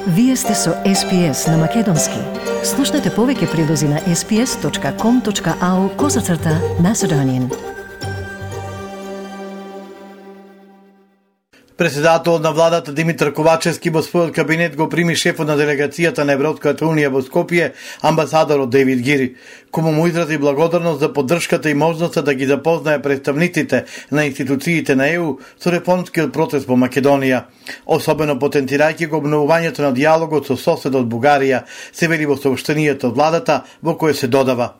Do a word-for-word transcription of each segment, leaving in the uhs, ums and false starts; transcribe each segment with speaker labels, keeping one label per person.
Speaker 1: Вие сте со Ес Пи Ес на Македонски. Слушнете повеќе прилози на ес пи ес точка ком точка ау козацрта Macedonian.
Speaker 2: Председателот на владата Димитар Ковачевски во својот кабинет го прими шефот на делегацијата на Европската унија во Скопје, амбасадорот Дейвид Гири, кому му изрази благодарност за поддршката и можноста да ги запознае представниците на институциите на Е У со реформскиот процес во Македонија, особено потенцирајќи го обновувањето на диалогот со соседот Бугарија, се вели во соопштенијето од владата во кое се додава.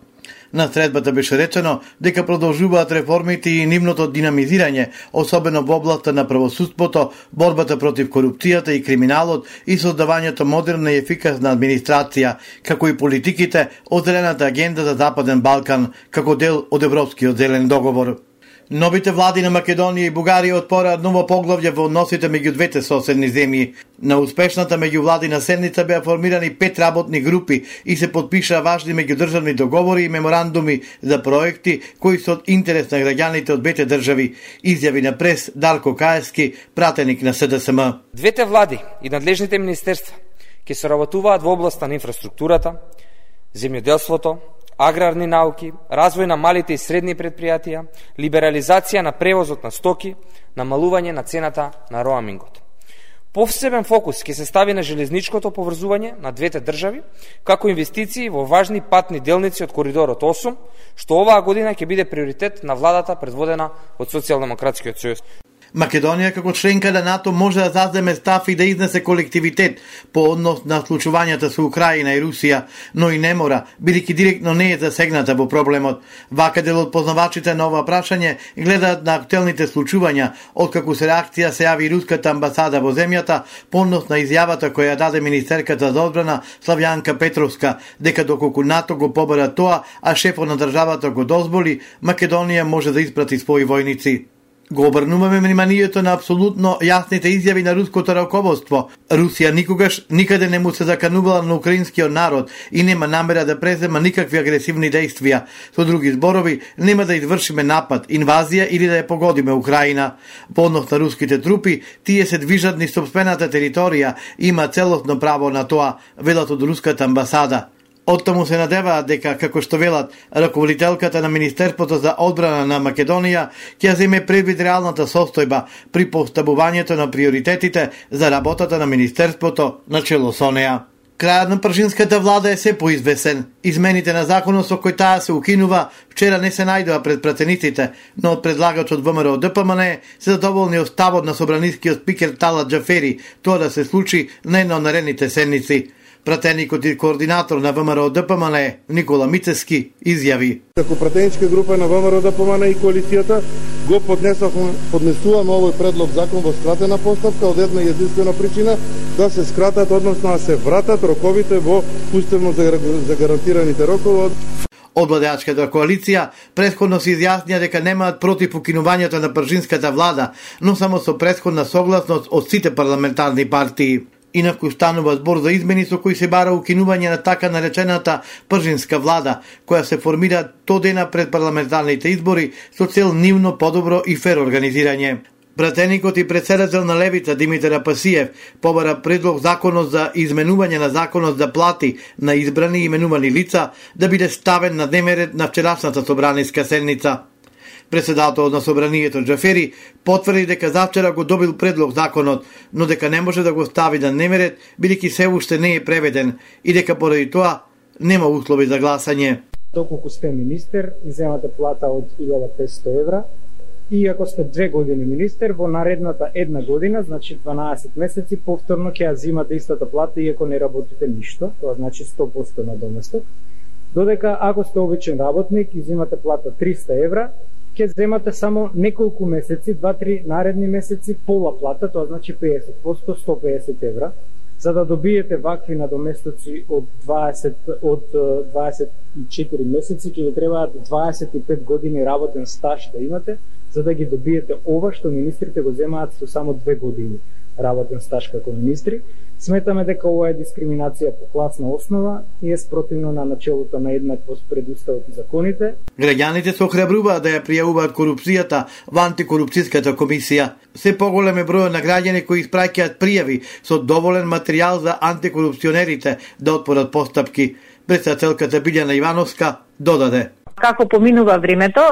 Speaker 2: На средбата беше речено дека продолжуваат реформите и нивното динамизирање, особено во областта на правосудството, борбата против корупцијата и криминалот и создавањето модерна и ефикасна администрација, како и политиките од Зелената агенда за Западен Балкан, како дел од Европскиот зелен договор. Новите влади на Македонија и Бугарија отпораат ново поглавје во односите меѓу двете соседни земји. На успешната меѓувладина седница беа формирани пет работни групи и се потпишаа важни меѓудржавни договори и меморандуми за проекти кои се од интерес на граѓаните од двете држави, изјави на прес Дарко Каевски, пратеник на Се Де Ес Ем.
Speaker 3: Двете влади и надлежните министерства ќе соработуваат во областа на инфраструктурата, земјоделството, аграрни науки, развој на малите и средни предпријатија, либерализација на превозот на стоки, намалување на цената на роамингот. Повсебен фокус ќе се стави на железничкото поврзување на двете држави, како инвестиции во важни патни делници од коридорот осум, што оваа година ќе биде приоритет на владата предводена од Социјалдемократскиот сојуз.
Speaker 2: Македонија како членка на НАТО може да заземе став и да изнесе колективитет по однос на случувањата со Украина и Русија, но и не мора, бидејќи директно не е засегната во проблемот. Вака дел од познавачите на ова прашање гледаат на актуелните случувања, откако се реакција се јави руската амбасада во земјата по однос на изјавата која даде министерката за одбрана Славјанка Петровска, дека доколку НАТО го побара тоа, а шефот на државата го дозволи, Македонија може да испрати своји војници. Го обрнуваме вниманието на апсолутно јасните изјави на руското раководство. Русија никогаш никаде не му се заканувала на украинскиот народ и нема намера да презема никакви агресивни дејствија. Со други зборови, нема да извршиме напад, инвазија или да ја погодиме Украина. По однос на руските трупи, тие се движат низ сопствената територија и има целосно право на тоа, велат од руската амбасада. Оттаму се надеваат дека, како што велат, раководителката на Министерството за одбрана на Македонија ќе земе предвид реалната состојба при поставувањето на приоритетите за работата на Министерството на чело со неа. Крајот на пржинската влада е се поизвесен. Измените на законот со кој таа се укинува вчера не се најдоа пред пратениците, но предлагачот Вэ Ем Р О Д П М Н се задоволни од ставот на собранискиот спикер Талат Џафери, тоа да се случи на една од наредните седници. Пратеникот и координатор на Вэ Ем Р О Д П М Н Никола Мицевски изјави:
Speaker 4: Како пратеничка група на Вэ Ем Р О Д П М Н и коалицијата го поднесовме, поднесуваме овој предлог закон во скратена постапка од една единствена причина да се скратат, односно да се вратат роковите во уставно загарантираните рокови.
Speaker 2: Од владеачката коалиција претходно се изјаснија дека немаат против укинувањето на пржинската влада, но само со претходна согласност од сите парламентарни партии. Инаку станува збор за измени со кои се бара укинување на така наречената пржинска влада, која се формира то дена пред парламентарните избори со цел нивно подобро и фер организирање. Пратеникот и председател на Левица Димитар Апасиев побара предлог законот за изменување на законот за плати на избрани и именувани лица да биде ставен на дневен ред на вчерашната собраниска седница. Председателот на собранието Џафери потврди дека завчера го добил предлог законот, но дека не може да го стави на дневен ред бидејќи се уште не е преведен и дека поради тоа нема услови за гласање.
Speaker 5: Доколку сте министер и земате плата од илјада и петстотини евра, и ако сте две години министер, во наредната една година, значи дванаесет месеци, повторно ќе ја земате истата плата иако не работите ништо, тоа значи сто проценти на доместок. Додека ако сте обичен работник и земате плата триста евра, ќе земате само неколку месеци, два-три наредни месеци пола плата, тоа значи педесет проценти, сто и педесет евра, за да добиете вакви надоместоци од дваесет од дваесет и четири месеци, ќе ви требаат дваесет и пет години работен стаж да имате, за да ги добиете ова што министрите го земаат со само две години работен стаж како министри. Сметаме дека ова е дискриминација по класна основа и е спротивно на начелото на еднаквост пред уставот и законите.
Speaker 2: Граѓаните се охрабруваат да ја пријавуваат корупцијата во антикорупцијската комисија. Се поголем е бројот на граѓани кои испраќаат пријави со доволен материјал за антикорупционерите да отпорат постапки. Председателката Билјана Ивановска додаде:
Speaker 6: Како поминува времето,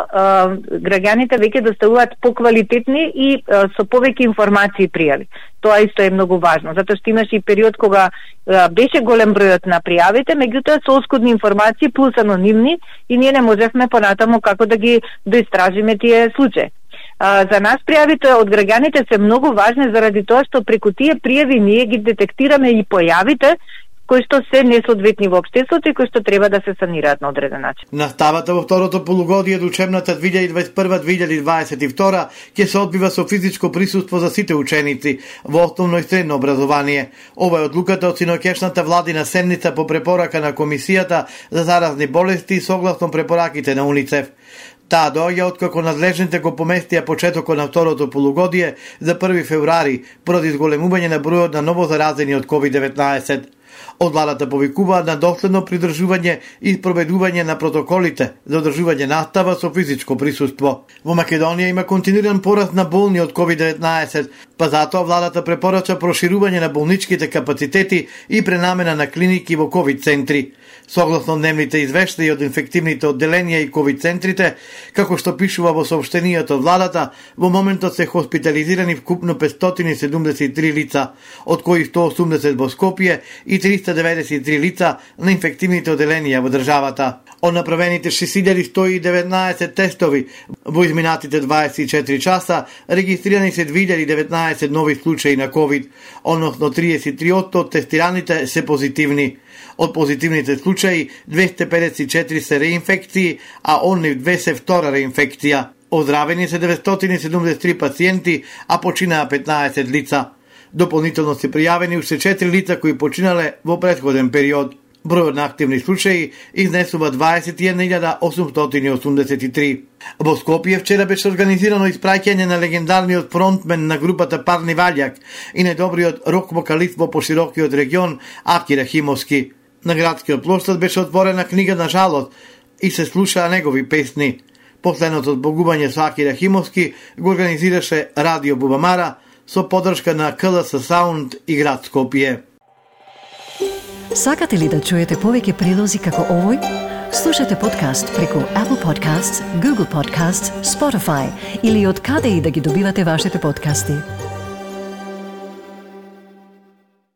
Speaker 6: граѓаните веќе доставуваат поквалитетни и со повеќе информации пријави. Тоа исто е многу важно, затоа што имаше и период кога беше голем бројот на пријавите, меѓутоа со оскудни информации плюс анонимни и ние не можевме понатаму како да ги доистражиме тие случаи. За нас пријавите од граѓаните се многу важни заради тоа што преку тие пријави ние ги детектираме и појавите кои што се несоодветни во општеството и кои што треба да се санираат на одреден начин.
Speaker 2: Наставата во второто полугодие од учебната две илјади дваесет и прва - две илјади дваесет и втора ќе се одбива со физичко присуство за сите ученици во основно и средно образование. Ова е одлуката од синоќешната владина седница по препорака на Комисијата за заразни болести согласно препораките на УНИЦЕФ. Таа доаѓа откако надлежните го поместија почетокот на второто полугодие за први февруари поради зголемување на бројот на ново заразени од ковид деветнаесет. Од владата повикуваат на доследно придржување и спроведување на протоколите за одржување настава со физичко присуство. Во Македонија има континуиран пораст на болни од ковид деветнаесет, па затоа владата препорача проширување на болничките капацитети и пренамена на клиники во ковид центри. Согласно дневните извештаи од инфективните одделенија и ковид центрите, како што пишува во соопштенијата од владата, во моментот се хоспитализирани вкупно петстотини и седумдесет и три лица, од кои сто осумдесет во Скопје и триста деветдесет и три лица на инфективните одделенија во државата. Од направените шест илјади сто и деветнаесет тестови во изминатите дваесет и четири часа, регистрирани се две илјади и деветнаесет нови случаи на ковид, односно триесет и три одсто од тестираните се позитивни. Од позитивните случаи двесте педесет и четири се реинфекции, а од нив две се втора реинфекција. Оздравени се деветстотини и седумдесет и три пациенти, а починаа петнаесет лица. Дополнително се пријавени уште четири лица кои починале во претходен период. Бројот на активни случаи изнесува дваесет и една илјада осумстотини и осумдесет и три. Во Скопје вчера беше организирано испраќање на легендарниот фронтмен на групата Парни Ваљак и најдобриот рок-вокалист во поширокиот регион Аки Рахимовски. На градскиот плоштад беше отворена книга на жалост и се слушаа негови песни. Последното збогување со Аки Рахимовски го организираше Радио Бубамара со поддршка на К Л С Саунд и град Скопје.
Speaker 1: Сакате ли да чуете повеќе прилози како овој? Слушате подкаст преку Apple Podcasts, Google Podcasts, Spotify или од каде и да ги добивате вашите подкасти.